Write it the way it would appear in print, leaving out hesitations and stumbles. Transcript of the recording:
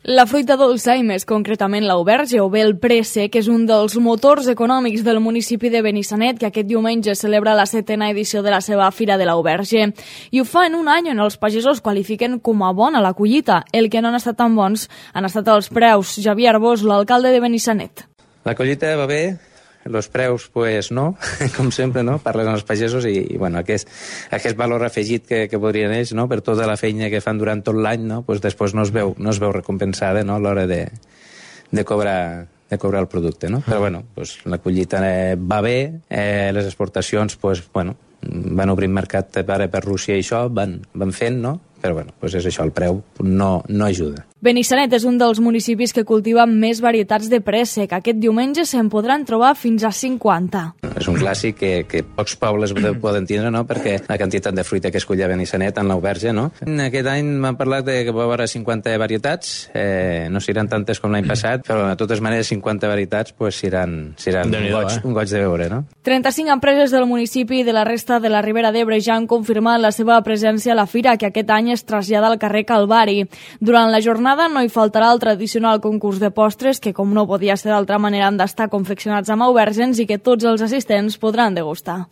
La fruita dolça, i més concretament l'auberge o bé el préssec, és un dels motors econòmics del municipi de Benissanet, que aquest diumenge celebra la 7ª edició de la seva Fira de l'Auberge. I ho fa en un any on els pagesos qualifiquen com a bona la collita. El que no han estat tan bons han estat els preus. Javier Arbós, l'alcalde de Benissanet. La collita va bé, els preus, pues no, com sempre, no? Parles amb els pagesos i bueno, aquest valor afegit que podrien ells, no? Per tota la feina que fan durant tot l'any, no? Pues després no es veu recompensada, no? A l'hora de cobrar el producte, no? Però bueno, pues la collita va bé, les exportacions, pues bueno, van obrint mercat per Rússia i això, van fent, no? Però bueno, pues és això, el preu no ajuda. Benissanet és un dels municipis que cultiva més varietats de préssec. Aquest diumenge se'n podran trobar fins a 50. És un clàssic que pocs pobles poden tindre, no? Perquè la quantitat de fruita que es cull a Benissanet en l'auberge, no? Aquest any m'han parlat que va haver 50 varietats, no seran tantes com l'any passat, però de totes maneres 50 varietats pues, seran un goig de veure, no? 35 empreses del municipi i de la resta de la Ribera d'Ebre ja han confirmat la seva presència a la fira, que aquest any es trasllada al carrer Calvari. Durant la jornada no hi faltarà el tradicional concurs de postres que, com no podia ser d'altra manera, han d'estar confeccionats amb aubergens i que tots els assistents podran degustar.